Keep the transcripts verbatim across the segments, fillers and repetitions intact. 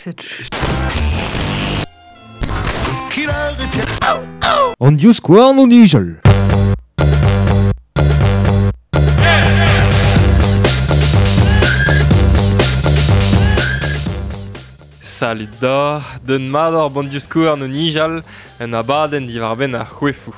Cette An divskouarn o nijal. Salut da, d'un mat ar bon divskouarn o nijal, un abadenn diwar-benn ar c'hoefoù.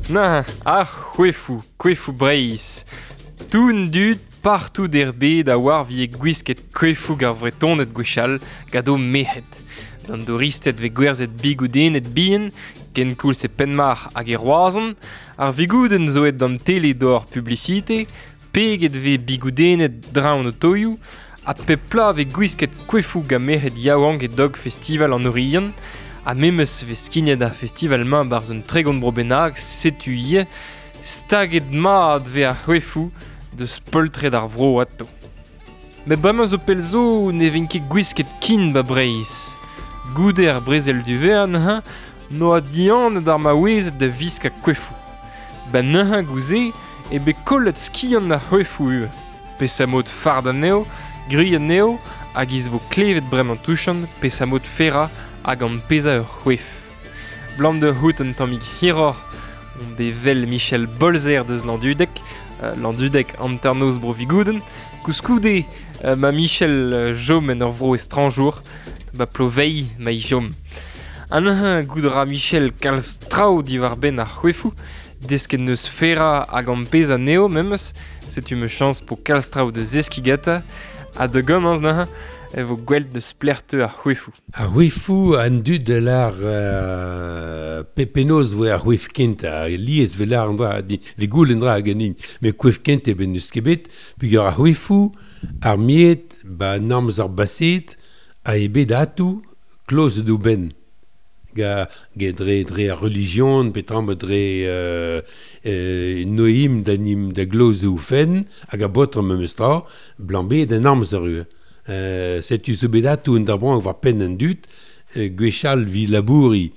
Na, ar c'hoefoù, koefoù Breizh. Toun dud partout er bed a war vie gwisket koefoù gar vretoned gwechall gant o merc'hed. D'an douristed ve gwerzhet bigoudennet bihan, ken koulz e Penmarc'h hag e Roazhon, ar vigoudenn zo aet d'an tele d'or publicité, peget ve bigoudennet draon o toioù, ha pep pla ve gwisket koefoù gant merc'hed yaouank e dog festival an Oriant, ha memes ve skignet ar festival-mañ barzh un tregont bro bennak, setu ivez, staget mat ve ar c'hoefoù deus poltred ar vro ato. Met bremañ zo pell zo ne vin ket gwisket kin ba Breizh. Goude ar brezel du vean, hein, noa dianet ar maouezed da viskañ koefoù. Ba neuze gouze e bet kollet skiant ar c'hoefoù ivez. Pesamod fard anezho, gwriat anezho, hag iz vo klevet bremañ touchan, pesamod ferra hag an pezhañ ur c'hoef. Blam de c'hout un tammig hiroc'h, on bet vel Michel Bolzer deus Landudec, euh, Landudec hanternoz bro Vigoudenn, koulskoude euh, ma Michel euh, jom en ur vro estranjour, ba plovei ma i jom. An un goudra Michel kalz traoù diwar-benn ar c'hoefoù, desket neus ferra hag an pezhañ anezho memes, setu me chañs po kalz traoù de zeskiñ gata, ha da gomañs neuze, e vo gwell deus plerteu ar c'hoefoù. Ar c'hoefoù an dud de l'ar euh, pepenoz voe ar c'hoef kent, a lies ve l'ar an dra, di, ve goul an dra hag an in, met c'hoef kent e ben neus ket bet, pugur ar c'hoefoù, ar miet, ba namz ar baset, a e bet atou, kloz d'o ben. Ga, ga dre, dre ar religion, petra dre euh, euh, noim da nim da gloz o fen, hag a botr memes tra, blambe da namz ar ue. Euh, setu zo bet atou un darban war penn an dud, euh, gwechall vi labouri,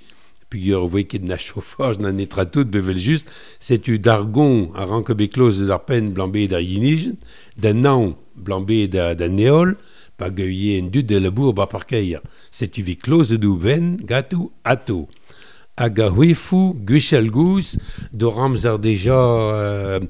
pugur voe ket na chauffage na netra tout bevel just, setu dargon a rank bet kloz d'ar penn blambe da yinijen, da naon blambe da, da neol, pa geuie en dud de labour ba parkeier. Setu vi kloz dou ben, gatou, ato. Hag a c'hwefou, gwechall gouz, do ramzer deja euh,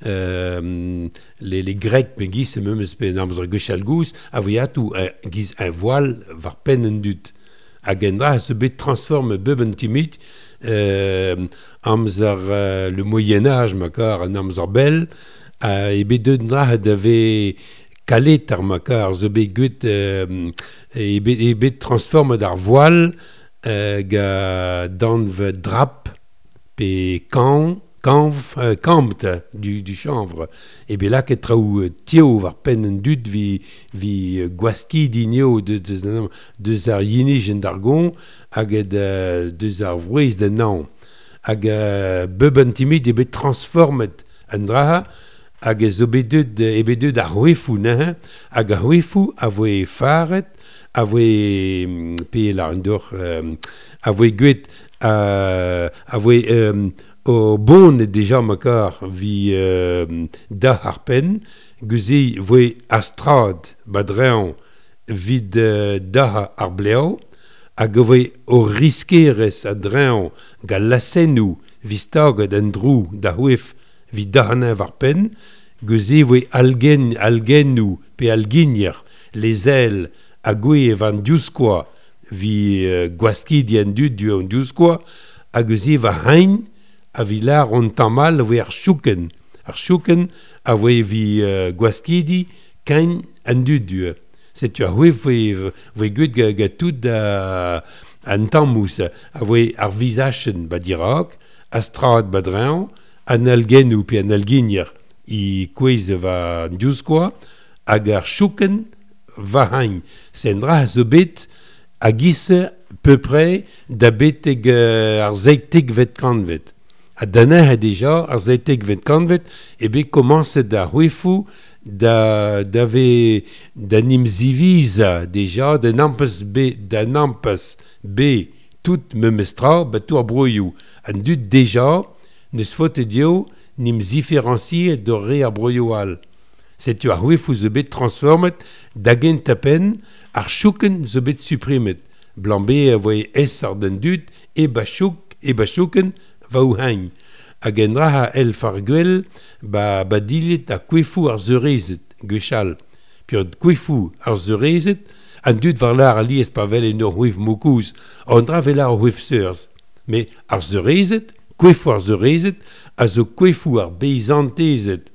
euh, les, les Grecs pe giz e memes pe amzer gwechall gouz, a voe atou euh, giz un voile war penn an dud. Hag en dra se bet transforme beb an timid, euh, amzer euh, le Moyen-Âge makar an amzer bel, euh, e bet deut dra da ve kalet ar makar, zo bet gwet euh, e bet, e bet transforme d'ar voile euh, ga danv drap pe kan, kanv, euh, kampt du, du chanvre. E bet lakaet traoù tio war penn an dud vi, vi gwaski dinio de, deus, deus ar yinijen d'ar gon hag de, deus ar vrouez da naon. Hag euh, beb an timid e bet transformet an draha, hag e zo bet deut, e bet deut ar c'hoefoù neuze, hag ar c'hoefoù a voe faret, a voe pe la an dor, euh, a voe gwet, euh, a voe euh, o bon deja makar vi euh, da ar penn, geuze voe astrad badrean vid euh, da ar bleo, hag a voe o riskerez a drean ga lasennoù vi staget an drou da c'hoef vi dahanin war penn, geuze voe algen, algennoù pe alginier, les ailes a gwe van diouzkoa vi euh, gwaskidi an dud du an diouzkoa, hag eus va hein a vi lar on tamal voe ar chouken. Ar chouken a voe vi euh, gwaskidi kein an dud du. Setu a voe voe, voe gwet ga, ga tout a, an tammous, a voe ar vizachen ba dirak, a strad ba drean, an algennoù pe an alginier i kouez va an diouzkoa, hag ar chouken va hein. Sen dra zo bet a giz peu près da betek euh, ar zeitekvet kantved. Ha danec'h deja ar zeitekvet kantved e bet komañset ar c'hoefoù da, da ve da nim ziviza deja da nampes be da nampes be tout memestra ba tout ar broioù. An dud deja neus faotet dio nim ziferañsiet d'ur re ar broioù all. Setu ar c'hoefoù zo bet transformet da gentañ-penn ar choukenn zo bet suprimet. Blambe a voe es ar den dud e ba chouk e ba choukenn va ou hagn. Hag en dra el far gwell ba, ba dilet a koefoù ar seurezed gwechall. Pur koefoù ar seurezed an dud war lar alies pa vel en ur c'hoef mokouz, an dra vel ar c'hoef seurz. Mais ar seurezed, koefoù ar seurezed, a zo koefoù ar beizantezed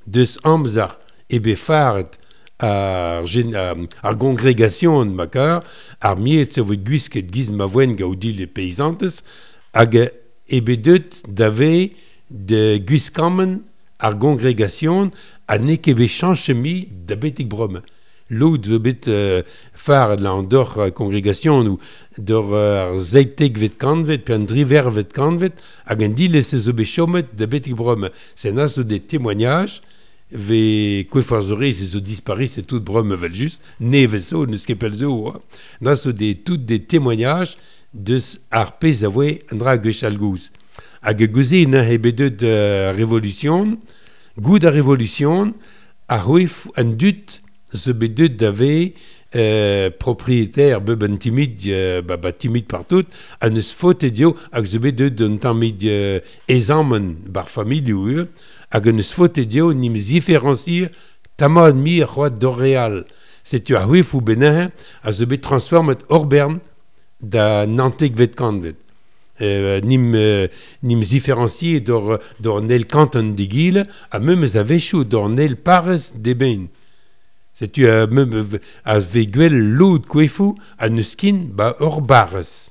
deus amzer e bet faret ar, gen, ar gongregasion makar, ar miet se voe gwisket giz ma voen gaoudil e peizantez, hag e bet deut da ve de gwiskammen ar gongregasion ha n'eo ket bet chañchet mi da betek bremañ. Lod zo bet euh, faret la an d'ur euh, kongregasion ou d'ur euh, ar zeitekvet kantved pe an drivervet kantved hag an dilez zo bet chomet da betek bremañ. Se na zo des témoignages ve koef ar zorez zo dispari c'est tout bremañ vel just, nevez zo, neus ket pell zo. Hein. Na zo des, tout des témoignages deus ar pezh a voe an dra gwechall gouz. Hag gouze na e bet deut euh, revolution, goud ar revolution, ar c'hoef an dud zo bet deut da ve euh, propriétaire beb an timid, euh, ba, ba timid partout, ha neus faotet dio hag zo bet deut un tammid euh, ezammen bar familhoù eo, hag neus faotet dio nim ziferañsier tamad mi ar c'hoad d'ur real. Setu ar c'hoefoù bennañ a zo bet transformet hor bern da nantekvet kantved. Euh, nim, euh, nim ziferañsier d'ur, d'ur nel kanton d'egile, ha memes a-wechoù d'ur nel parrez d'eben. Setu a mem a ve gwell lod koefoù a neus kin ba ur barrez.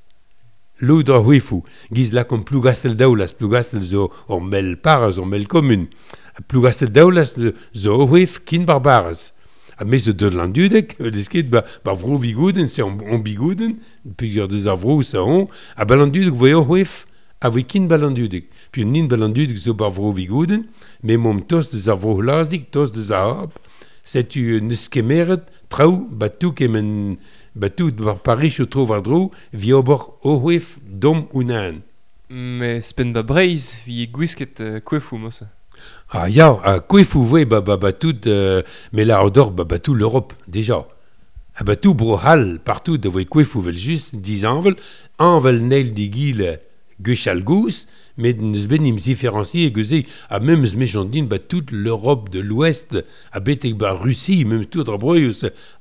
Lod ar c'hoefoù. Giz lakaomp Plougastel-Daoulas. Plougastel zo ur mell parrez, ur mell kommun. Plougastel-Daoulas zo ur c'hoef kin bar barrez. Ha me zo deut Landudeg, deus ket ba, ba vro Vigouden, se on, on Bigouden, peogwir deus ar vro sa on, ha ba Landudeg voe ur c'hoef a voe kin ba Landudeg. Puis nin ba Landudeg zo bar vro Vigouden, me momp tost deus ar vro Hlazik, tost deus ar Hab, setu neus kemeret traoù ba tou kemen ba tout war Paris o tro war dro vi ober o c'hoef dom unan. Mais spen ba Breizh vi gwisket euh, koefoù mosa. Ah ya, a koefoù voe ba ba ba tout euh, mais la odor ba ba tout l'Europe déjà. Ah ba tout bro Hall partout da voe koefoù vel just dizanvel, anvel neil digil gwechall gouz, met neus bet nim ziferañsier geuze, ha memes mechant din ba toute l'Europe de l'Ouest, ha betek ba Russie, même tout ar broioù,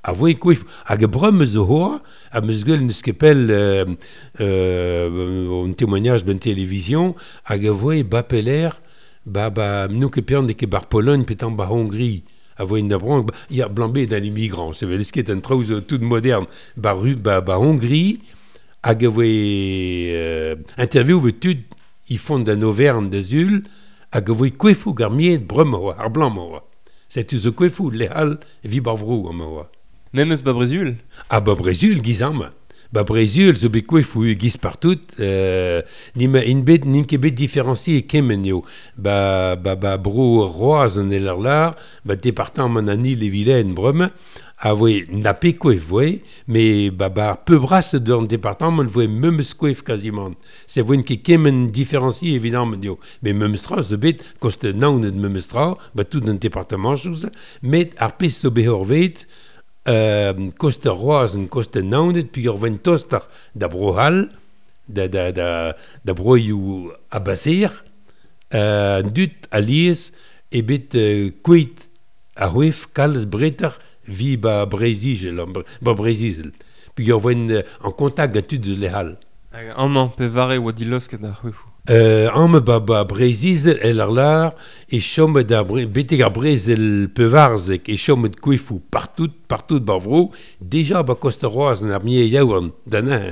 a voe koef, hag a bremañ zo hoa, ha meus gwell neus ket pell euh, euh, un témoignage ben télévision, hag a voe ba peler, ba, ba, n'on ket pean ket bar Pologne, petan ba Hongrie, a voe da bran, ba, ya blambé d'an immigrant, se vel ket an traoù zo tout moderne, ba, Ru, ba, ba Hongrie, hag a voe euh, interview vet tud i font d'an Auvergne da zul, hag a voe koefoù gar miet bremañ oa, ar blanc oa. Setu zo koefoù lehal vi bar vro amañ oa. Memes ba Brezul? Ah ba Brezul giz amañ. Ba Brezul zo bet koefoù giz partout, euh, nim in bet n'int ket bet différencier kement eo. Ba, ba, ba bro Roaz an el ar lar, ba département an Ille-et-Vilaine bremañ, a voe na pe koef voe, mais ba ba peu bras d'ur département voe memes koef quasiment. Se voen ket kement différencier évidemment eo. Mais memes tra zo bet kost naon et memes tra, ba tout un département chose, met ar pez zo bet horvet, euh, kost Roaz en kost naon et puis ur vent tostar da bro Hall, da, da, da, da broioù abaser, euh, dut alies e bet euh, kuit a c'hoef kalz bretar vi ba Breizh-Izel, ba Breizh-Izel. Puis ur voen en contact gant tud eus lehal. Hag amañ pe vare oa dilosket ar c'hoefoù? Euh, amañ ba, ba Breizh-Izel el ar lar e chomet ar bre, betek ar brezel pevarzek e chomet koefoù partout, partout bar vro, deja ba kost ar Roaz an ar mie yaouan da nañ,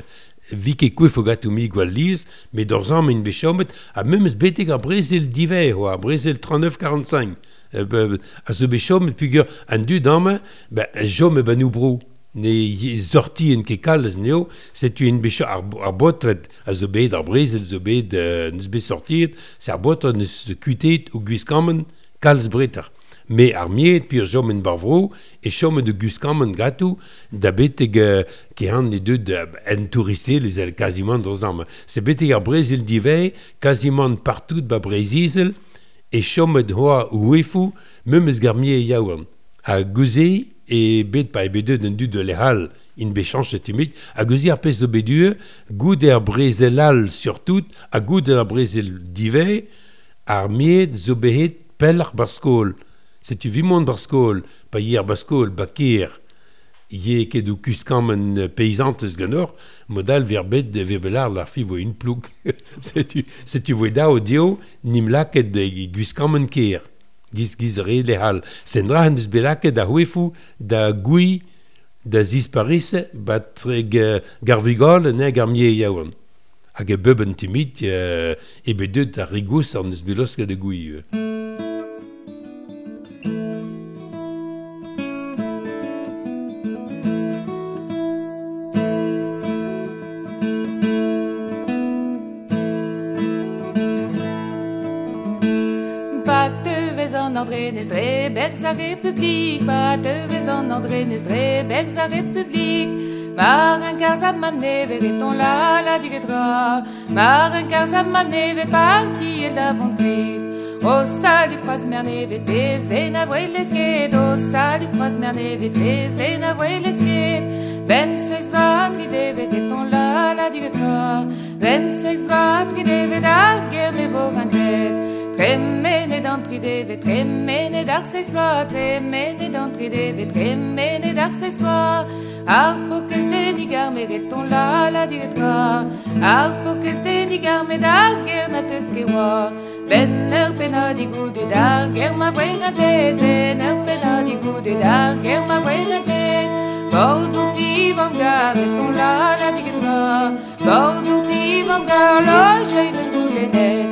vi ket koefoù gatou mi gwall lies, met d'ur zamm in bet chomet, ha memes betek ar brezel diver, oa, ar brezel trente-neuf quarante-cinq. Euh, ba, a zo bet chomet pugur an dud amañ, ba, jom e ba nou bro. Ne sorti en ket kalz neo, setu en bet ar, ar botret a zo bet, ar brezel zo bet, euh, neus bet sortiet, se ar botret neus kuitet o gwiskammen kalz breter. Me ar miet, pi ur jom en barvro, e chom de gwiskammen gatou, da beteg euh, ke han ne deud en touristel les el quasiment dans am. Se beteg ar brezel divei, quasiment partout ba Breiz-Izel, e chom de hoa ouefou, memes gar mie yaouan. A gouze, e bet pa e bet deud en dud de lehal in bet chanchet timid, a gouze ar pez zo bet due, goud ar brezel all surtout, a goud ar brezel divei, ar miet zo behet pellach bar skol. Setu vimont bar skol, pa yer bar skol, ba ker, ye ket o kuskammen paysantes ganor, modal ver bet ver belar la fi vo un ploug. Setu, setu voe da o dio, nim laket de gwiskammen ker. Giz giz re lehal. Sendra hen deus belaket da houefou, da goui, da zisparise, bat garvigol ne gar mie yaouan. Hag e beb an timid, euh, e bet deut ar rigous an deus belosket de goui. André Nesdre, berz a Republik, pa tevez an André Nesdre, berz a Republik. Mar un karz a mam neve reton la la digetra, mar un karz a mam neve parti el d'avantrit. O salut croise mer neve te ven a voe lesket, o salut croise mer neve te ven a voe lesket. Ben seiz bloaz tri deve reton la la digetra, ben seiz bloaz tri deve da ger me vo rantet. Tremenet an tri deve, tremenet ar seiz bloaz, tremenet an tri deve, tremenet ar seiz bloaz. Ar pokez denig ar me reton la la digetra, ar pokez denig ar me d'ar ger na teut ket oa. Ben ur pennadig goude d'ar ger ma voe rantet, ben ur pennadig goude d'ar ger ma voe rantet. Bordeaux ti vam gar reton la la digetra, Bordeaux ti vam gar lojei meus goulennet.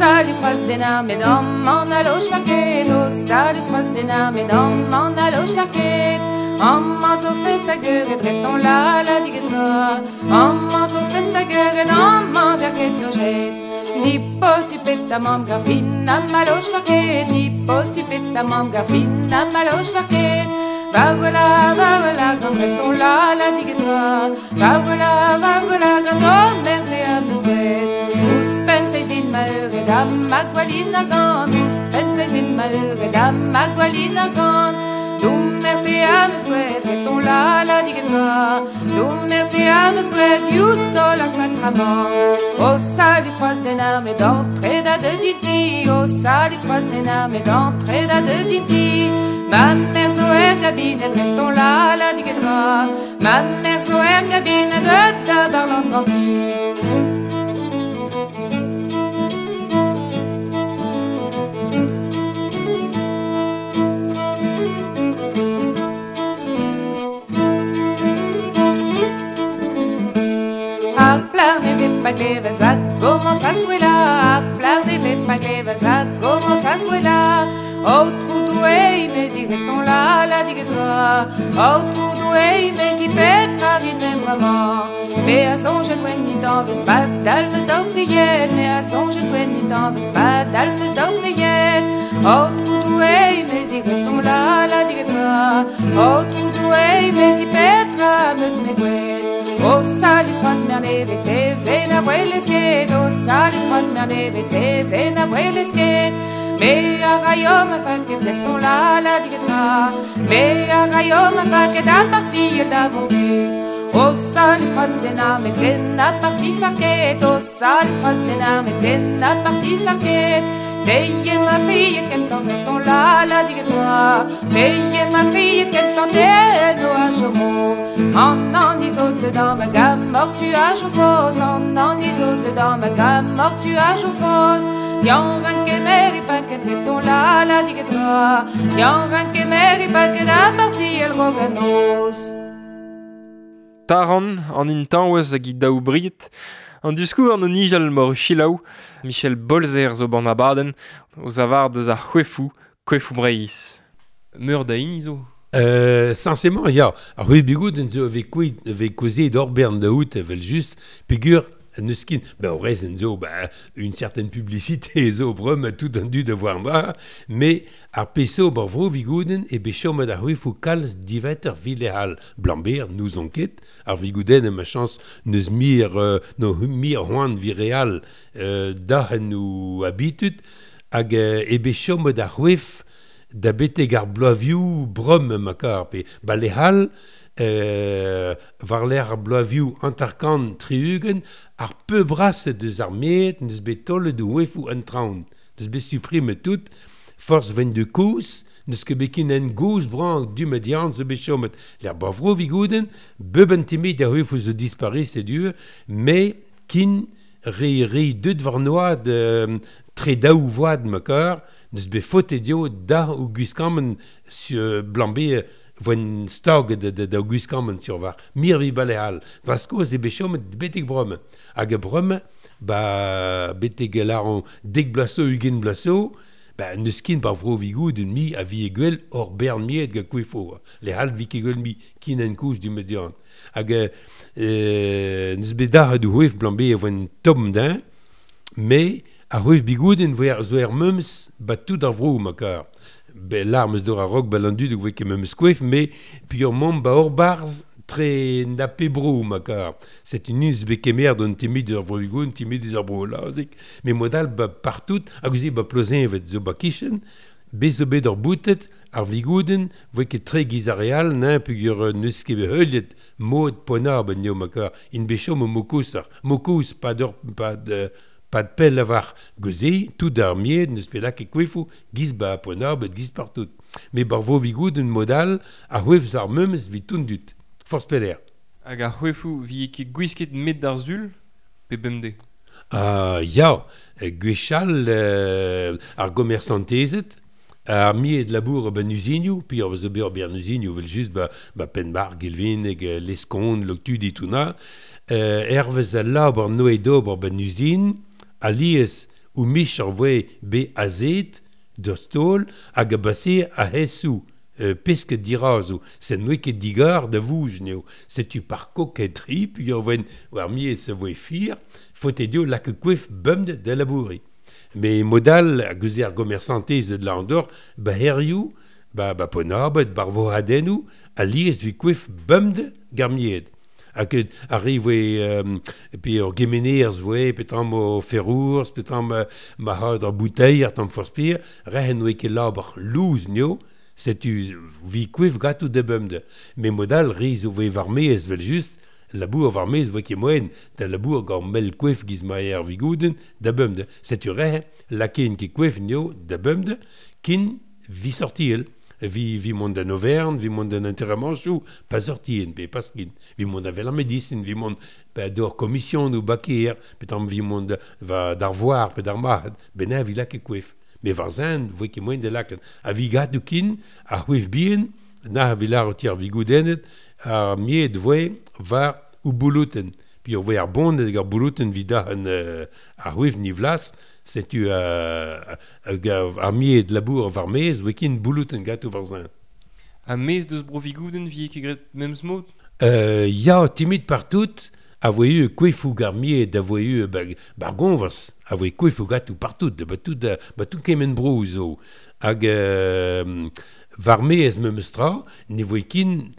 Salut croise den armé dans mon allo schwarket, oh salut croise den armé dans mon allo schwarket. En man zo fest a geur et dreton la la digetra, en man zo fest a geur et en man verket lojet. Ni posupet a mam garfin a malo schwarket, ni posupet a mam garfin a malo schwarket. Va voilà, va voilà, grand breton la la digetra, va voilà, va voilà, grand homme merde a meus. Ma eur da ma gwalin a gant, ouzhpenn seizin ma eur da ma gwalin a gant. Doum er pe a meus gwet, reton la la digetra, doum er pe a meus gwet, diouzh taol ar sakramant. O salut croise den armé d'entrée da de dinti, o salut croise den armé d'entrée da de dinti. Ma mère zo er gabinet, reton la la digetra, ma mère zo er gabinet de da barlant ganti. Pa glevez a commence a souela, ar plar neve pa glevez a commence a souela. O trou doué, mez i reton la la digetra, o trou doué, mez i petra rit me bremañ. Me a sonjet ouen nit anvez pa dalmeus daou pried, me a sonjet ouen nit anvez pa dalmeus daou pried. O trou doué, mez i reton la la digetra, o trou doué, mez i petra meus me gwet. O salut croise mer neve te ven a voe lesket, o salut croise mer neve te ven a voe lesket. Me a raio ma faket reton la la digetra, me a raio ma faket a parti da vonte. O salut croise den arme ten a parti farket, o salut croise den arme ten a parti farket. Teie ma fille kentan reton la la digetra, teie ma fille kentan den o a jomo. En an izote dans ma gamme, mort tu a fos, en an izote dans ma gamme, mort tu a fos. Yan ran kemer e paket reton la la digetra, yan ran kemer e paket a parti el roganos. Taran, an intañwez hag i daou briet. An diskour an nijal mor chilaou, Michel Bolzer zo ban abadenn, o zavar deus ar c'hwefou, kwefou Breizh. Meur da hini zo? Euh, Sensément, ya. Ar c'hwef bigouden zo ve kouit, ve kozet d'or bern da out, evel just, pegur neus kin, ben, o rez zo, ben, une certaine publicité zo brem tout an du da voir dra, mais ar peso bar vro vigouden e be chomet ar c'hwefou kalz diveter vilehal blamber, nous on ket, ar vigouden em a chance neus mir, euh, no mir c'hoant vireal euh, da en nou habitud, hag euh, e be chomet ar c'hwef da beteg ar bloaviou brom ma kar, pe ba lehal, euh, war l'er ar bloaviou antarkan triugen, ar peu braset deus ar met, neus bet tolle de wefou an traon, neus bet supprime tout, force ven de kouz, neus ket bet kin en gouz brank du median zo bet chomet. L'er bavro vigouden, beuben timid ar wefou zo disparis et dur, mais kin re re deut war noad euh, tre daou voad ma kar, neus bet faute dio da ou gwiskammen sur blambe voen stag de, de, da gwiskammen sur war. Mir vi balehal. Draskoz e bet chomet betek bromme. Hag e bromme, ba betek laron dek blaso ugen blaso, ba neus kin bar vro vigoud un mi a vi e gwell or bern miet ga kwefo. Le hal vi ket gwell mi kin en kouch du median. Hag euh, neus bet da du c'hwef blambe e voen tom din, mais ar c'hwef bigouden voe ar zo er meums ba tout ar vro ma kar. Be l'armes d'or a rok ba l'an dud voe ket meums kwef, mais puis ur mom ba ur barz tre nape bro ma kar. C'est une us be kemer don timid ur vro bigouden, timid ur vro lazik, mais modal ba partout, hag ouzi ba plozen evet zo ba kichen, be zo bet ur boutet, ar vigouden, voe ket tre giz ar real, nan pugur neus ket bet heuliet mod ponar ben neo ma kar. In be chom o mokous ar, mokous pa d'ur, pa de, pa de pell avar geuze, tout ar mied, neus pe lak e kwefou, giz ba ponar, bet giz partout. Mais bar vo vigouden modal, ar c'hwef ar memes vi tundut. Force peler. Hag ar c'hwefou vi ket gwisket met d'ar zul, pe bemde? Ah, ya, gwechall euh, ar gomersantezet, ar mied labour ben usinioù, puis ar zo bet ur bern usinioù, vel just ba, ba Penbar, Gelvin, hag Leskon, Loctudi, tout na, euh, hervez al labour noe d'ober ben usin, alies ou mich ar voe be azet d'ur stol hag a base a hesou euh, pesk dirazo. C'est noe ket digar da vouj neo. Setu par koketri, puis ar voen war miet se voe fir, faute dio lak kwef bumd da labouri. Mais modal a geuze ar gomersantez de l'Andorre, ba herioù, ba, ba ponabet, bar vohadennou, alies vi kwef bumd garmied. Hag arri voe, euh, pe ur gemenerz voe, pe tamm o ferrourz, pe tamm ma had ar bouteilh, ar tamm forspir, rehen oe ket labour louz neo, setu vi kwef gatou de bumde. Mais modal riz o voe war mez, vel just, labour war mez voe ket moen, da labour gant mel kwef giz ma er vigouden, da bumde. Setu rehe, laken ket kwef neo, da bumde, kin vi sortiel. Vi, vi mont d'an Auvergne, vi mont d'an enterramanchou, pas sortien, pe pas kin. Vi mont da vel ar médecine, vi mont ba d'or commission ou bakir, pe tamm vi mont va d'ar voir, pe d'ar mahad, ben vi lak e kwef. Mais war zin, voe ket moen de laket. A vi gatou kin, a c'hwef bien, na vi lar o tier vi goudennet, ar mied voe war ou boulouten. Puis on voe ar bon hag ar boulouten vi da an euh, ar c'hwef ni vlas, setu euh, ar mied labour war mez, voe kin boulouten gatou war zin. A mez deus bro vigouden vi ket gret memes mod? Euh, ya, timid partout, a voe eu kwefou gar mied, a voe eu ba, bar gonvers, a voe kwefou gatou partout, ba tout, ba tout kemen bro zo. Hag euh, war mez memes tra, ne voe kin,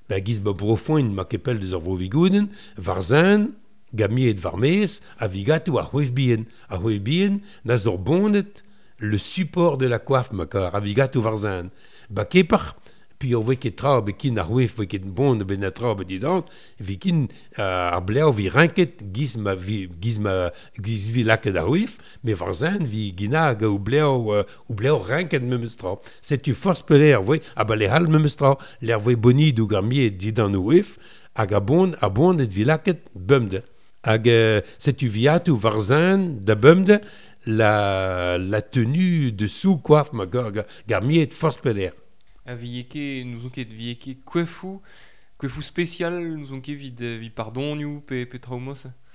ba giz ba brofoin ma kepel deus ar vro vigouden, war zin, gamiet war mez, a vi gatou ar c'hwef bien. Ar c'hwef bien, na zor bonnet le support de la coiffe ma kar, a vi gatou war zin. Ba kepar, puis on voit ket tra be kin ar c'hwef, voe ket bon ben a tra be didant, vi kin euh, ar bleav vi rinket giz ma vi, giz ma, giz vi laket ar c'hwef, mais war zin vi gina hag ou bleav, euh, ou bleav rinket memes tra. Setu force peler, voe, a ba le hal memes tra, l'air voe boni dou gar miet didan ou c'hwef, hag a bon, a bon et vi laket bumde. Hag euh, setu viatou war zin da bumde, la, la tenue de sous-coiffe ma gar, gar, gar miet force peler. A vi ket, nous on ket vi ket kwefou Koefou spécial nous on ket vid, vid pardonioù pe, pe traoù?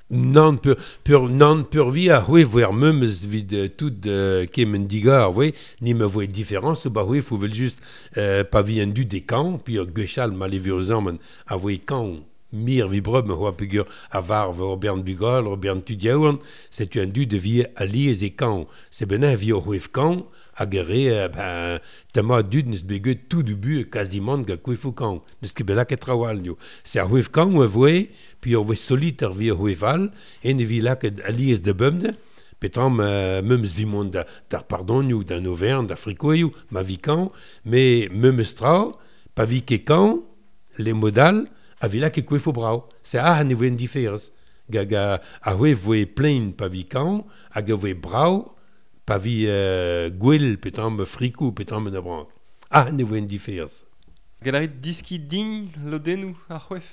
Nan, pur, pur, nan, pur vi a c'hwe voe ar memes vid uh, tout uh, kemen digar, voe, ni me voe différence, ba c'hwe fo vel just uh, pa vi an du de kan, puis ur gwechall ma levurzammen a voe kan mir vi breu me c'hoa pegur a varv ur bern bugal, ur bern tud yaouan, setu an du de vi a liez e kan. Se benin vi ur c'hwef kan, hag e re, ben, tema dud neus bet get tout du bu quasiment ga kouefou kan. Neus ket bet laket trawal nio. Se ar c'hwef kan oa voe, puis ur voe solitaire vi ur c'hwef all, en e vi laket a liez de bemde, petam euh, memes vi mont da, d'ar pardonioù, d'an Auvergne, d'ar frikoioù, ma vi kan, mais memes tra, pa vi ket kan, les modal, a vi laket kouefou brao. Se a ne voe en différence. Ga, ga, a c'hwef voe plein pa vi kan, hag a voe brao, pa vi euh, gwell petam frikou petam en abrank. Ah, ne voe en différence. Galarit diski din lodennou ar c'hwef?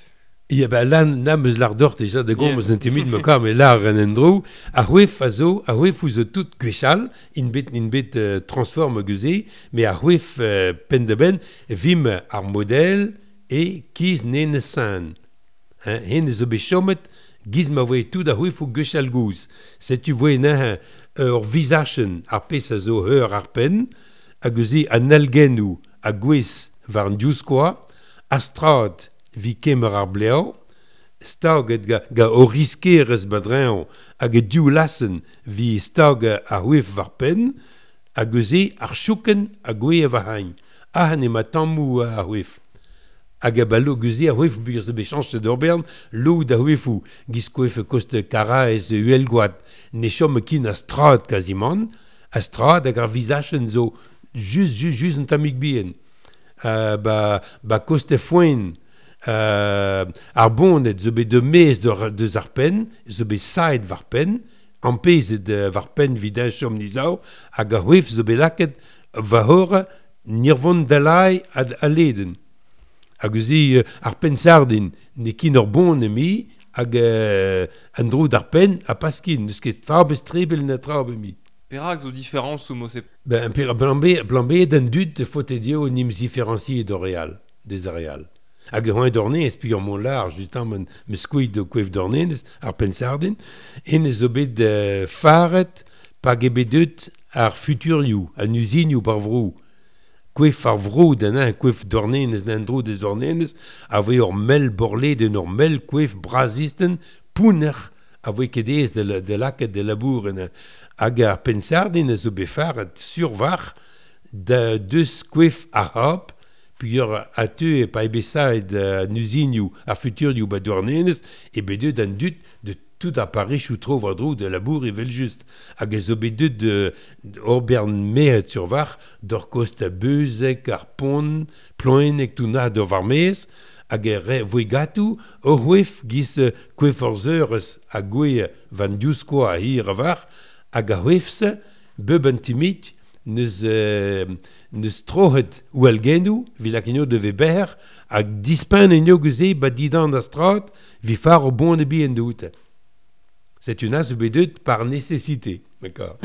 Ya ben lan na meus lar dort déjà de gom eus yeah. Intimid me kam e lar en endro a c'hwef a zo a c'hwef ouz tout gwechall in bet in bet euh, transforme geuze mais a c'hwef euh, pen de ben vim ar model e kiz nen san hein hen zo bet chomet giz ma voe tout a c'hwef ou gwechall gouz setu voe na ur vizachen ar pez a zo heur ar pen hag eus an algennou a gwez war an diouzkoa a strad vi kemer ar bleo, staget ga, ga o riskerez badreñv hag e div lassen vi stag ar c'hwef war pen, hag eus ar chouken a gwe war hain. Ah, ne ma tammou ar c'hwef. Hag a ba lo geuze ar c'hwef buur zo bet chañchet d'ur bern, lo da c'hwefou, giz koef kost Karaez uhelgoad, ne chom kin a strad quasiment, a strad hag ar vizachen zo just, just, just un tammig bihan. Euh, ba, ba koste foen, euh, ar boned zo bet de mez de, deus ar pen, zo bet saet war pen, ampezet uh, war pen vid un chom nizao, hag ar c'hwef zo bet laket war hor nirvon dalai ad a leden. Hag eus uh, ar pen sardin, ne kin ur bon emi, hag euh, an dro d'ar pen a paskin, neus ket trabez trebel na trabe mi. Perak zo différence ou mose? Ben, per plan B, plan B d'an dud faute dio nim différencier d'Oréal, des areal. Hag c'hoant d'ornez, puis ur mont lar, justement, me skouid de kouef d'ornez, ar pen sardin, en zo bet uh, faret pa ge bet deut ar futurioù, an uzinioù bar vrou. Kouef ar vrou d'an un, kouef d'ornez, d'an dro des ornez, a voe ur mel borled en ur mel kouef brazisten, pouner, a voe ket ez de, de laket de labour en hag ar pen sardin a zo bet faret sur var da deus kouef a hop, puis ur a teu e pa ebe saet an uzinioù, ar futurioù ba douarnenez, e bet deut an dud de tout a Paris ou tro war dro de labour evel just. Hag e zo bet deut de, ur bern mehet sur var, d'ur kost a beuzek, ar pont, ploenek tout na d'ur war mez, hag e re voe gatou, ur c'hwef giz kouef ur zeurez a gwe van diouzkoa a hir a var, hag a c'hwefse, beub an timit, neus, euh, neus trohet ou algenou, vi lakinio de veber, hag dispen en yo geuze ba didan da strat, vi far o bon e bi en doute. C'est une as bedeut par nécessité. D'accord.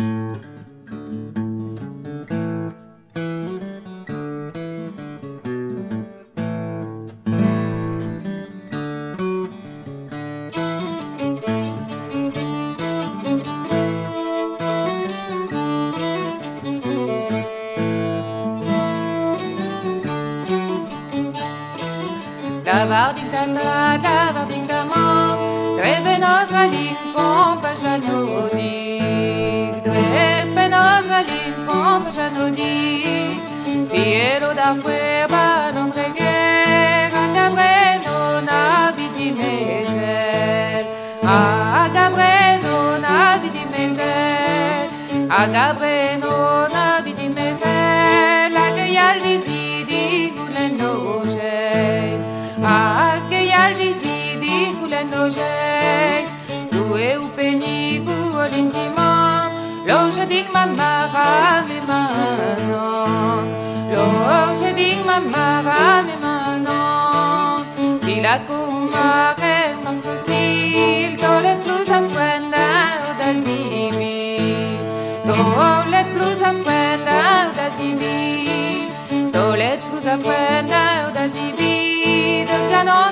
Lavar din tata, lavar din da mamm, dre benoz galin tromp a janodig, dre benoz galin tromp a janodig, Piero da fouer ban an dreger, hag a breno na bidi mezel, hag a breno na bidi mezel, hag a breno na bidi mezel, hag e yal dizidi goulen lojez, hag e yal dizidi goulen lojez, doue ou penigu olintiman, loje dig ma mara me manon, loje dig ma mara me manon, Pilako mare marsosil, tolet plus a fuenda da zibi, tolet plus a fuenda da zibi, tolet plus a fuenda da zibi, de canon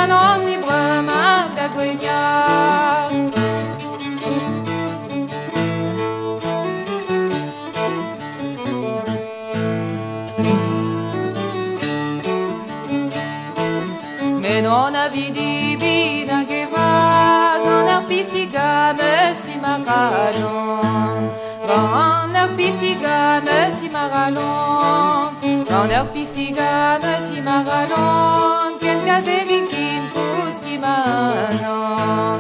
an omni brema da gwenia. Men on a vidi bina geva gant ar pistiga me si maralon. Gant ar pistiga me si maralon. Gant ar pistiga me si maralon. Ken kazerin kin kouski manon.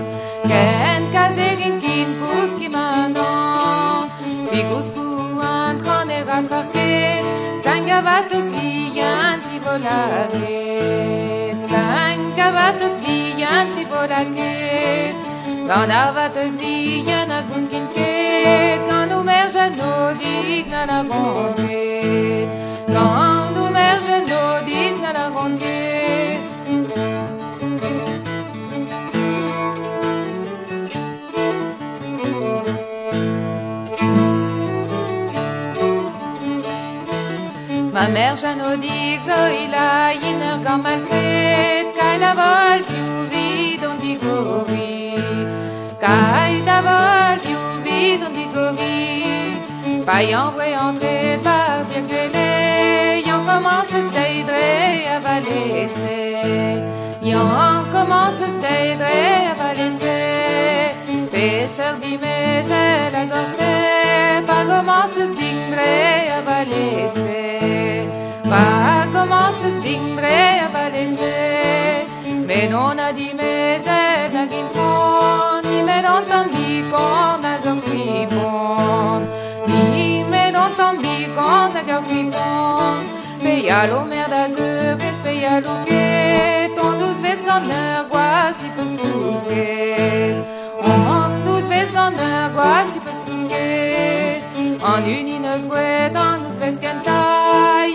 Ken kazerin kin kouski manon. Figouskou an tran e rafarket. Sangavatos vian trivolaket. Sangavatos vian trivolaket. Gant avatos vian a gouskin ket. Gant o mer janodik na la gonket. Gant o mer janodik na la gonket. Ma mère Janodik zo ila iner gant malfet. Kai da vol piou vid on digori. Kai da vol piou vid on digori. Pa yan voe entret par zirgele. Yan commence steidre a valese. Yan commence steidre a valese. Peser dimezel a gorte. Pa commence stingre a valese. Pa commence stingre a valese. Men on a dimezel nag intron. Ni men on tambikon nag ur fripon. Ni men on tambikon nag ur fripon. Pe yalo mer da zeurez, pe yalo ket. On douz vez gant ur gwaz i peus kousket. On douz vez gant ur gwaz i peus kousket. An uni neus gwet, an douz vez kenta.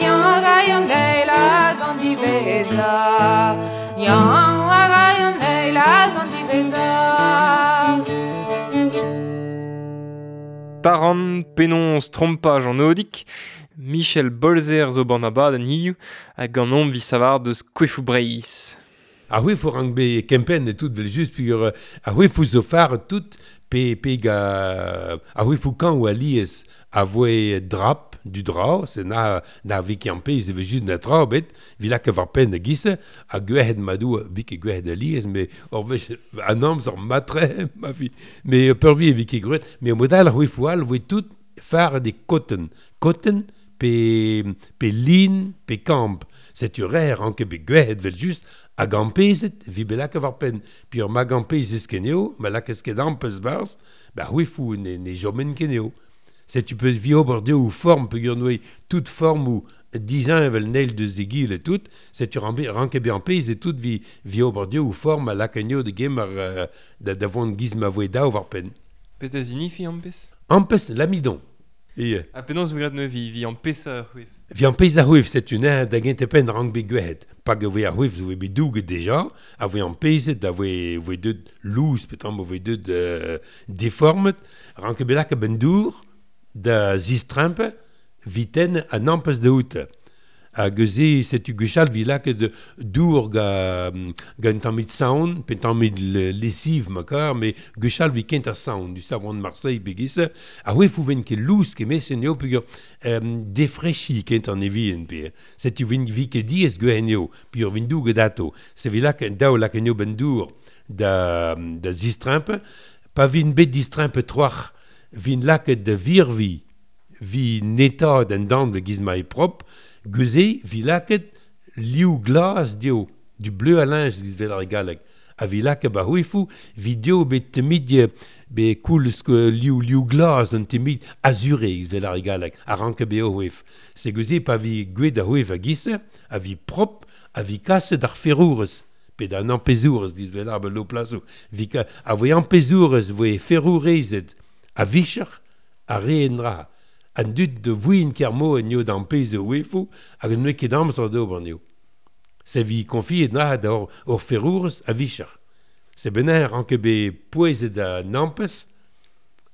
Yan a ray an eil hag an diveza. Yan a ray an eil hag an diveza. Taran, penons, trompaj an odik, Michel Bolzer zo ban abadenn hiziv hag an omp vi savar deus Kouefou Breizh. A c'hwefou rank be kempenn et tout vel just pugur a c'hwefou zo far tout pe pe ga a c'hwefou kan ou a lies a voe drap du dra, c'est na na vi ki an pez vel just na dra bet vi lak war pen da gisse a gwehed madou vi ki gwehed a lies mais or vech an amzer matre ma vi mais peurvi vi ki gwehed mais modal a c'hwefou all voe tout far de cotton cotton pe pe lin pe kamp c'est ur rank be gwehed vel just hag an pezet vi belak war pen pi ur mag an pezez keneo ma lakez ket an peus barz ba c'hwefou ne, ne jomen keneo c'est tu peux vi ober deo ou forme peogwir noe toute forme ou dizin vel neil de zegil et tout c'est tu rank be an pez et tout vi vi ober deo ou forme a lakenio de gem ar uh, da da vont giz ma voe dao war pen. Pet a zinifi an pez? An pez l'amidon. Et a penaos vous gret vi vi an pez a c'hwef. Vi an pez a c'hwef, c'est une un da gente pen rank be gwehet. Pa ge a c'hwef zo be douget deja, a voe an pezet, a voe voe deut louz, petam voe deut euh, deformet, rank be lak a ben dour da zistrimpe viten an ampez de out. A geze setu gwechall vi lak de dour ga ga un tammit saon, pe tammit lessive ma kar, mais gwechall vi kent ar saon, du savon de Marseille begisse, a oe fou ven ket louz ket mes eo peogwir euh, defrechi kent an evien pe. Setu vin vi ket diez gwen eo, pi ur vin douget ato. Se vi lak daou lak eo ben dour da, da zistrimpe, pa vin bet distrimpe troach, vin lak de virvi, vi netad en dan de giz ma e prop, Geuze, vi laket liou glas dio, du bleu à linge giz vel ar galleg. A vi laket ba c'hwefou, vi dio bet temid be koulz liou, liou glas an temid azuré giz vel ar galleg, a ranke be o c'hwef. Se geuze pa vi gwet a c'hwef a gisse, a vi prop, a vi kaset ar ferrourez, pe da an ampezourez giz vel ar be lo plaso. Vi ka, a voe ampezourez voe ferrourezet a vicher a re en dra. An dud de vouin kermo en yo d'an pez o wefou hag an ket amzer d'ober neo. Se vi konfiet na da ur, ur ferrourez a vicher. Se bener ranke be pouezet a nampez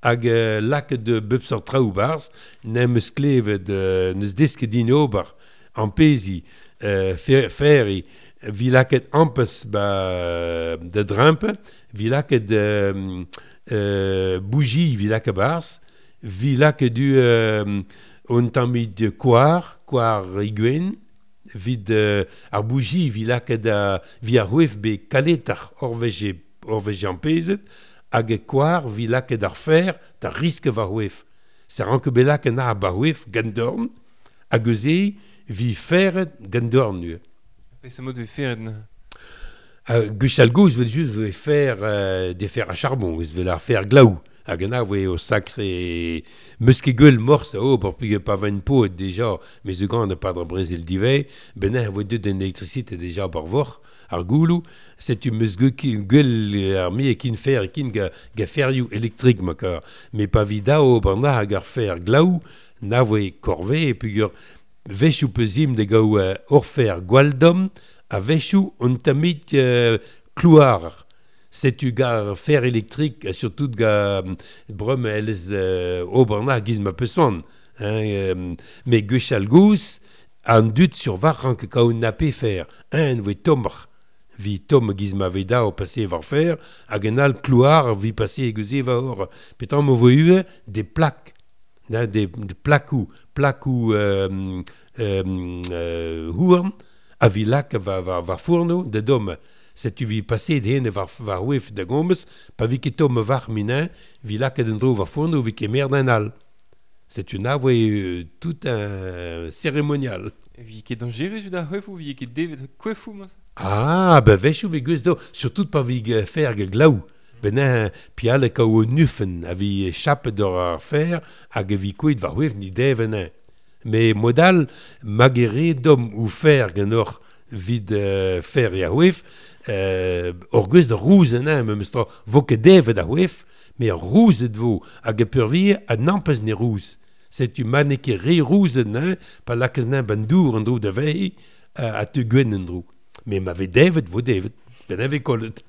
hag euh, lak de bep sort traoù barz n'em eus klevet euh, neus desket din ober an pezi euh, fer, ferri vi laket ampes ba de drimpe, vi laket euh, euh, bougie, vi laket bars, vi laket du euh, on tammit koar, koar iguen, vid euh, ar bougie, vi laket a, vi ar c'hwef be kaletar orveje, orveje ampezet, hag e koar vi laket ar fer da riske war c'hwef. Se ranke be laket ar bar c'hwef gant dorn, hag eus vi feret gant dorn nu. Pe se mod ve feret na? Uh, Gwechall gozh vel just ve fer euh, des fer à charbon, eus vel ar fer glaou. Hag an a voe o sacré meus ket gwell morse o pour puge pa vain pot déjà, mais ze gant pa dra brezel divez, ben a voe deut en électricité déjà bar vor, ar goulou, setu meus gwell ar mi e kin fer kin ga, ga ferioù électrique ma kar. Mais pa vi dao bar na hag ar fer glaou, na voe korve e pugur vechou peuzim de gaou euh, orfer gwaldom, a vechou on tamit euh, klouar. Setu gar fer électrique, surtout ga brum elez euh, ober na giz ma peuswan. Hein, euh, mais gwechall gouz, an dud sur var rank kaout na pe fer. Un voe tomr, vi tom giz ma veda o passer war fer, hag en al klouar vi passer geuze va or. Petan mo voe ue des plaques, na, des, des plakou, plakou euh, euh, euh, houarn, a vi lak va, va, va fourno de dom. Setu vi passer d'hene war, war ouef da gomez, pa vi ket tom war minin, vi laket en dro war fourno, vi ket merd en al. Setu na voe euh, tout un cérémonial. Vi ket dangerus da c'hwef ou vi ket devet kwefou mas? Ah, ben vechou vi geus do, surtout pa vi fer ge glaou. Ben un pial e kaou nufen, a vi chape d'or ar fer, hag vi kouit war ouef ni deven. Mais modal, magere dom ou fer genor vid euh, fer ya ouef, euh, ur gwez da rouz an an, memes tra, vo ket devet a c'hwef, mais ar rouzet vo, hag e peurvie a nampez ne rouz. Setu ma ne ket re rouzet an, pa lakez nan ban dour an dro da vei, a, a te gwen an dro. Mais ma ve devet vo devet, ben ave kollet.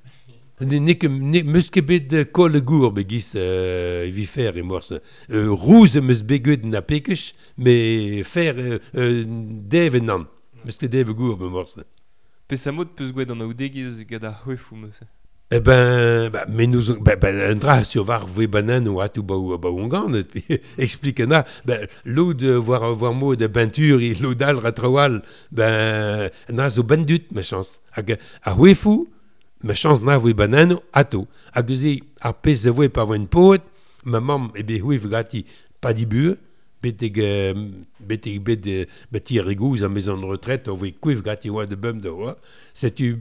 Ne, ne, ne, meus ket bet kolle gour be giz euh, vi fer e morse. Euh, rouz meus bet gwet na pekech, mais fer euh, euh, devet nan. Meus ket devet gour be morse. Pe sa mod peus gwet an aoudegez gant ar c'hwefou meus? Eh ben, bah, mais nous, ben, ben, un dra sur var voe banan ou atou ba ou ba on gant, explique na, ben, l'eau de voir voir mot de peinture, et l'eau dal ratrawal, ben, na zo bandut, ma chance. Hag a c'hwefou, ma chance na voe banan ato. Hag eus ar pezh a voe pa voen poet, ma mamm e be c'hwef gati pa di bue, betek betek bet bet ir gouz a maison de retraite, o voe kouev gati oa de bum de oa. Setu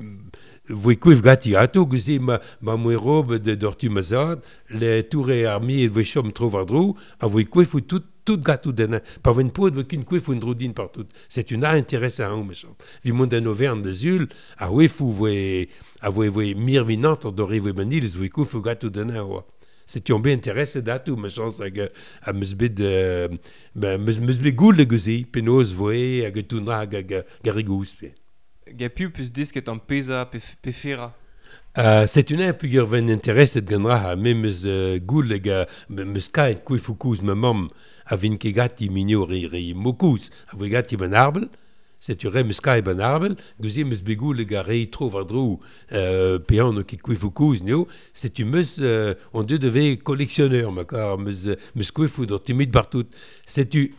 voe kouev gati ato, geuze ma, ma moe robe de dortu ma zad, le toure ar mi e voe chom tro war dro, a voe kouev ou tout, tout gatou den. Pa voen poet voe kin kouev un dro din partout. C'est une intéressant an, me chant. Vi mont en Auvergne de Zul, a voe fou voe, a voe voe mirvinant dore voe manil, voe kouev ou gatou den oa. C'est un bien intéressé d'atou, ma chance hag a meus bet euh, meus, meus bet goul geuze, penaos voe hag tounra hag hag garigous pe. Ga piv peus desket an peza pe, pe fera? Uh, c'est une un pugur ven interesset gant ra, me meus uh, goul hag a meus kaet kouefoù kouz ma mamm a vin ket gati minio re, re mokouz, a voe gati ban arbel, setu re meus kaet ban arbel, geuze meus bet goul hag a re tro war dro euh, pe an ket kouefoù kouz neo, setu meus euh, on deut deve collectionneur, ma kar meus, meus kouefoù d'ur timid partout. Setu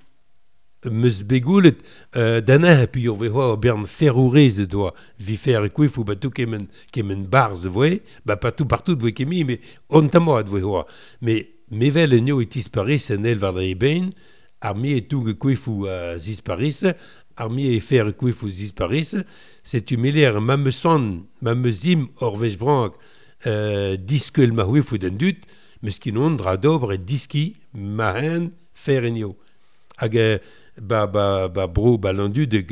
meus bet goulet euh, d'an pugur ve hoa bern ferrourez doa, vi fer kouefoù ba tout kemen, kemen barz voe, ba pas tout partout voe kemi, mais on tamoad voe hoa. Mais mevel en eo e tisparis en el war dre ben, ar mi e toug kouefoù a zisparis, ar mi e fer kouefoù zisparis, setu meler ma me son, ma me zim or vech brank, euh, diskel ma c'hwefou d'an dud, meus kin on dra d'ober e diski ma hen fer en eo. Hag ba, ba, ba bro ba landud hag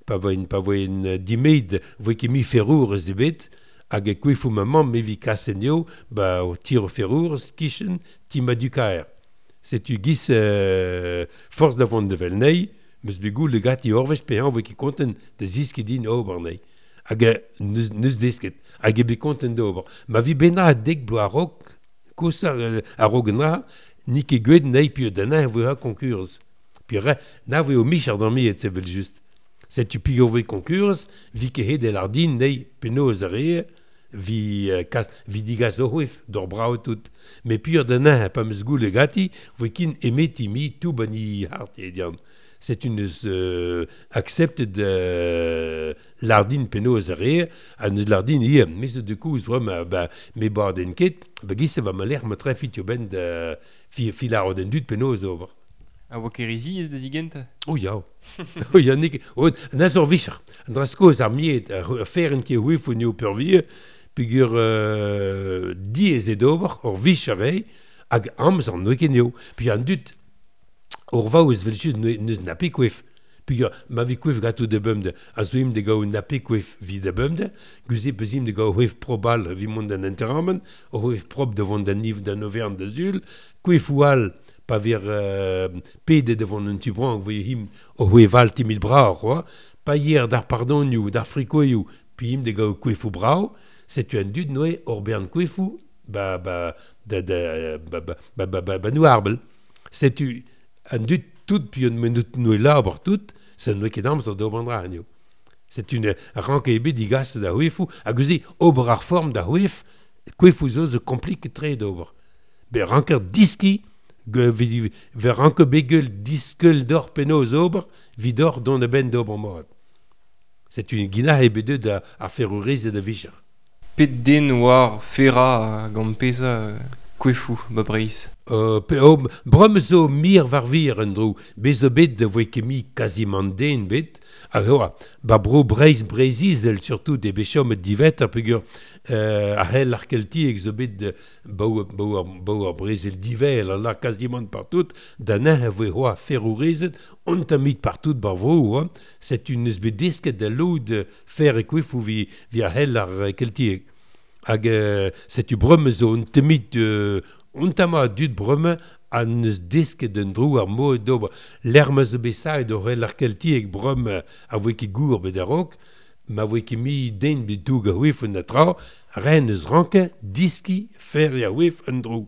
pa voen, pa voen dimeid voe ket mi ferrour eus ebet, hag e kouefoù ma mamm me vi kas en eo, ba o tir o ferrour kichen ti ma du kaer. Setu giz euh, force da vont de vel nei, meus bet goul gati orvech pe an voe ket konten da ziski din ober nei. Hag neus, neus desket, hag e bet konten d'ober. Ma vi bena dek bloaz a-raok, koz a-raok an dra, ni ket gwet nei pi d'an voe ha konkurz. Pi re, na voe o mich ar d'an miet, sevel just. Setu pigor voe konkurs, vi ket het el ardin nei penaos a re, vi, uh, kas, vi digas o c'hwef, d'or brao tout. Me pur da nain pa meus goule gati, voe kin emeti mi tout bani hart e dian. C'est une euh, accepte de lardin penaos a re, a neus lardin ie, mes de kouz drom, ba, me bar den ket, ba gisse va ma lec'h ma tre fit yo ben de fi, fi laro den dud penaos ober. A oa kerizi ez da zigent? Oh ya. Oh ya, nik, oh, na zor vicher. An dra skoz ar miet, ar feren ki c'hwef o neo peurvie, peogwir euh, diaes eo d'ober, ur vicher eo, hag amzer n'oe ket neo. Puis an dud, ur vaouez vel just neus na pe kwef. Peogwir ma vi kwef gato de bemde, a zo im de gao na pe kwef vi de bemde, gouze peus im de gao c'hwef probal vi mont d'an enterramen, ur c'hwef prop de vont d'an niv d'an overn da zul, kwef ou al, pa vir euh, pede devant un tubrank, voye him o c'hwef al timid bra, quoi. Pa hier d'ar pardonioù, d'ar frikoioù, puis him de gao kwefou brao, setu an dud noe ur bern kwefou, ba, ba, da, da, ba, ba, ba, ba, ba, ba nouarbel. Setu an dud tout, puis un menut noe labour tout, se noe ket amzer d'ober an dra anezho. C'est une rank ebet digas da c'hwefou, hag eus ober ar form da c'hwef, kwefou zo zo komplike tre d'ober. Be ranker diski, ge, vi, ve ranke begel diskel d'or penaos ober, vid d'or don a ben d'ober mat. C'est une gina ebet deut da ar ferrourez da vicher. Pet den war fera gant peza kwefou ba Breizh? Euh, pe, oh, brom zo mir war vir en dro, bez zo bet da voe ket mi quasiment den bet, hag oa, ba bro Breizh Breizh-Izel surtout de bet chomet divet ar peogwir euh, ar c'hell ar keltiek zo bet de baou, baou, ar, baou ar brezel divel a la quasiment partout, da nain a voe c'hoa ferrourezet, on tamit partout bar vro, oa, c'est une eus bet desket da lod fer e kwefou vi, vi ar c'hell ar keltiek. Hag euh, setu breume zo un temit euh, un tama dud breume an eus desket d'un dro ar moe d'ober l'erme zo bet saet o c'hell ar keltiek breume a voe ket gour bet a-raok, ma voe ket mi den bet doug a c'hwef un atra, ren eus ranke diski fer ya c'hwef un dro.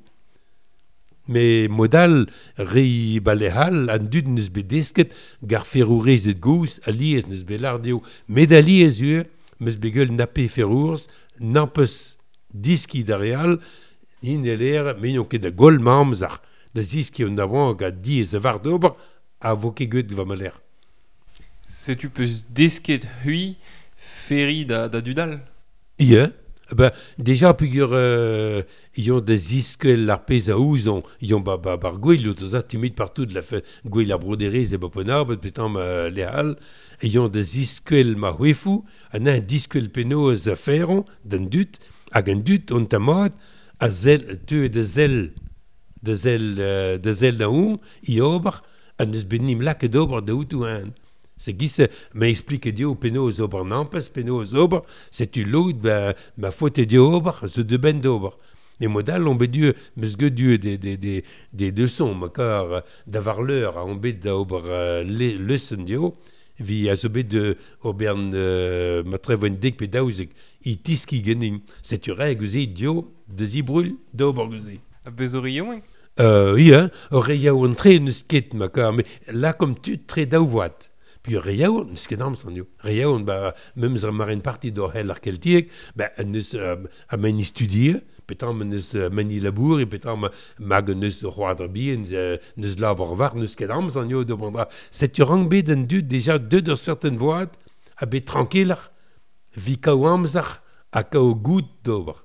Me modal re balehal an dud neus bet desket gar ferrourezet gouz alies neus bet lardeo met alies ur meus bet gueul nape ferrourz n'ampeus diski da real in eler me ket da gol ma amzer da ziski un avant hag a diez a var d'ober a vo ket guet va maler. Setu peus desket hui ferri da, da dudal? Ie. Ben, déjà, peogwir euh, ion da ziskel ar pezh a ouzon, ion ba, ba, bar gwell, o za timid partout de la fe, gwell ar broderez e ba ponarbet, petam euh, lehal, ion da ziskel ma c'hwefou, an un diskel penaos a feron, d'an dud, hag an dud on tamad, a zel, teu da zel, da zel, euh, da zel da on, i ober, an eus bet nim lakaet d'ober da outou an. Se gisse, ma explique dio penaos ober nampes, penaos ober, setu lod, ba, ma faute dio ober, zo de ben d'ober. Me modal on bet du, meus get du des, des, des, des leçons, ma kar d'avar l'heure, on bet da ober euh, le, leçon dio, vi a zo bet de obern euh, ma trevoen dek pe daouzek, i tiski genin. Setu reg gouze dio, de zibrul, d'ober gouze. A bezori yaouank? Euh, oui, hein, ur re yaouank tre neus ket, ma kar, mais là comme tu tre daouvoat. Puis re yaouank, neus ket amzer nio. Re yaouank, ba, memes ar maren parti d'or hell ar keltiek, ba, neus euh, a meni studie, petam neus euh, meni labour, e petam mag neus c'hoadr bien, neus labour war, neus ket amzer nio d'ober dra. Setu rank bet an dud déjà deux d'ur certaine voad, a bet tranquiller, vi kaou amzer a kaou goud d'ober.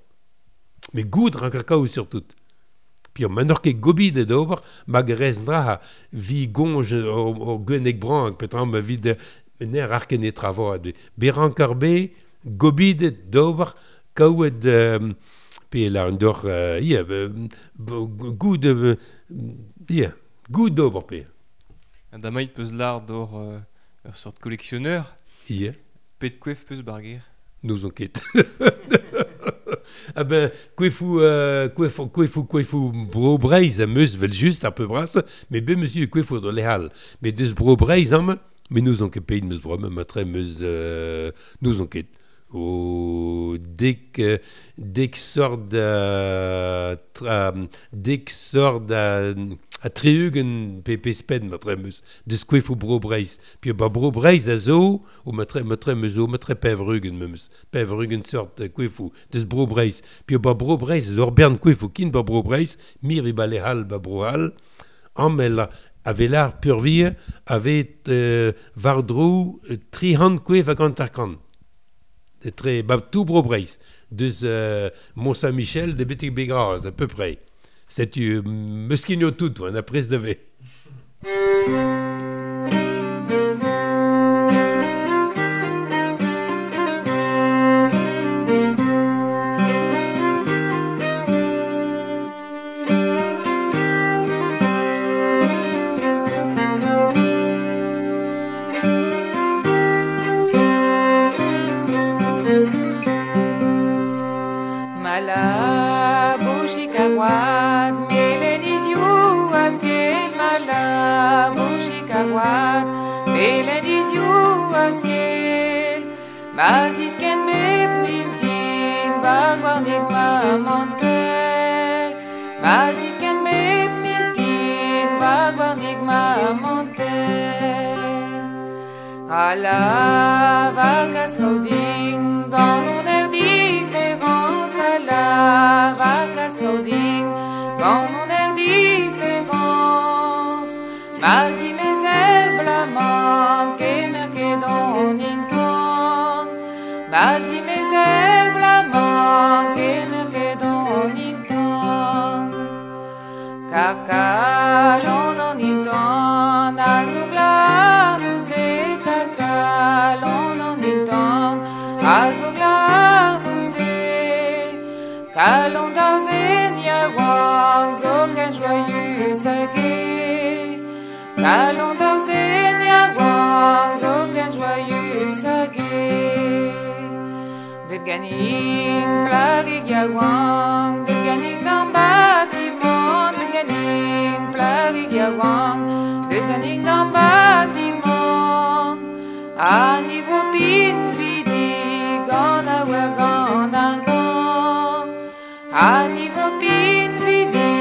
Mais goud rank ar kaou surtout. Puis on manor ket gobid d'ober, mag rez dra vi gonj o, o gwennek brank, petam vi de ner ar ket netra voad. Be rank ar be gobid d'ober kaouet euh, pe la un dor euh, ia, goud euh, ia, goud d'ober pe. An damait peus lar d'or euh, ur sort collectionneur. Ia. Pet kwef peus barger? Nous on ket. Ah ben, kwefou, euh, kwefou, kwefou, kwefou bro Breizh a meus vel just ar peu bras, mais be monsieur kwefou de lehal. Mais deus bro Breizh am, mais nous on ket peit meus bro, ma tre meus, euh, nous on ket. O dek, dek sort da, tra, dek sort da, A triugen pe pe spen ma tremeus deus koefou bro Breizh. Puis ba bro Breizh a zo, o ma tre ma tremeus zo, ma tre pevrugen memes. Pevrugen sort koefou deus bro Breizh. Puis ba bro Breizh zo ur bern koefou kin ba bro Breizh, mir e ba le hal ba bro hal, amel a velar purvie avet euh, vardrou tri hand koef a gant ar kan. De tre ba tout bro Breizh. Deus euh, Mont-Saint-Michel de betek begraz à peu près. Setu euh, meskinio tout, on a pres de ve. A la vaca scauding, gant on er différence. A la vaca scauding, gant on er différence. Ma zi mez eblamant, kemer ket on intan. Ma zi mez eblamant, kemer ket on intan. Kar kalon an intan, a zo glan ouz le. Kalon an intan, a zo glan ouz de. Kalon da zen yaouank zo ken joyeux hag e. Kalon da zen yaouank zo ken joyeux hag e. Deut ganin plagig yaouank, deut ganin d'an batimant, deut ganin plagig yaouank, deut ganin d'an batimant. A niveau pin vidi gant a wer gant ar gant. A niveau pin vidi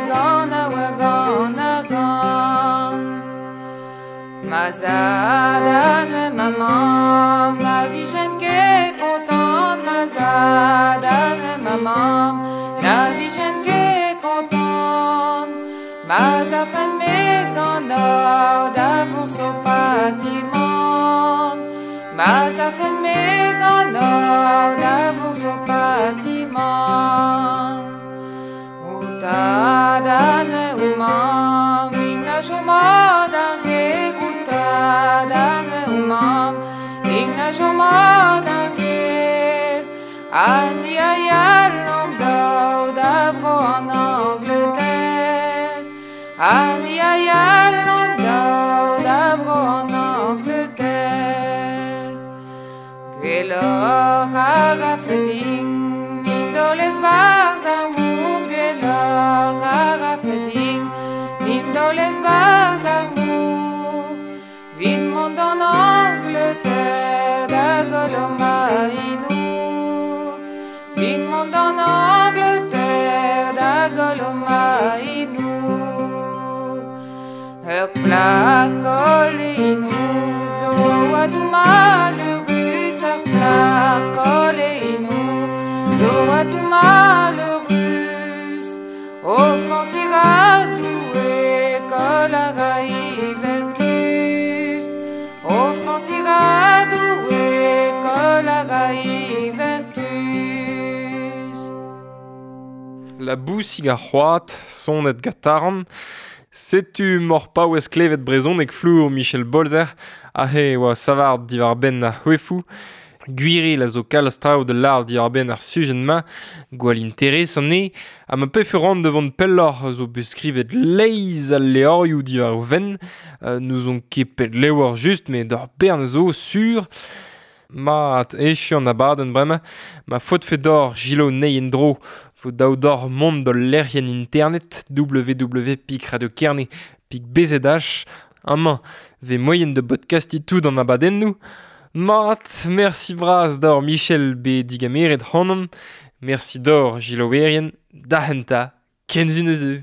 gant a wer gant ar gant. Ma zad a nue ma mamm, ma vijen ket kontant. Ma zad a nue ma mamm, na vijen ket kontant. Ma zafen me gant or da vourso patimant. Ma zafen me gant or da vourso patimant. O tad a nue o mamm, in a chomad ar ger. O tad a nue o mamm, in a chomad ar ger. A ni a yal an daou da vro an Angleterre. A ni a yal an daou da vro an Angleterre. Gwelloc'h hag a fedin, nindoles barz ar mor. Gwelloc'h hag a fedin, nindoles barz ar mor. Vit mont d'an Angleterre da goll o maïnou. Vit mont d'an Angleterre da goll o maïnou. Ur plac'h koll e inou zo a dou malheurus. Ur plac'h koll e inou zo a dou malheurus. Offenser a Doue koll a ra vertus. Offenser a Doue koll a ra vertus. La bousig ar c'hoad, sonet gataran. Setu mor paouez klevet brezhoneg flour Michel Bolzer, ahe oa savard diwar benn ar c'hwefou. Gwiril a zo kalz traoù de lard diwar benn ar sujen-ma, gwall interes an e, ha ma pefe ran devant pelloc'h zo bet skrivet leiz al leorioù diwar o venn, euh, n'ouzon ket pet levr just, met d'ur bern zo sur. Mat, echu an abadenn bremañ, ma faotfe d'or Gilo nei en-dro, vo daou d'or mont d'ol lec'hienn internet w w w pik radio kerne pik b z h. Amañ, ve moyen de podcasti tout an abadennoù. Mat, merci bras d'or Michel be digameret hanon. Merci d'or Gilo Werien, da henta, kenzun eus.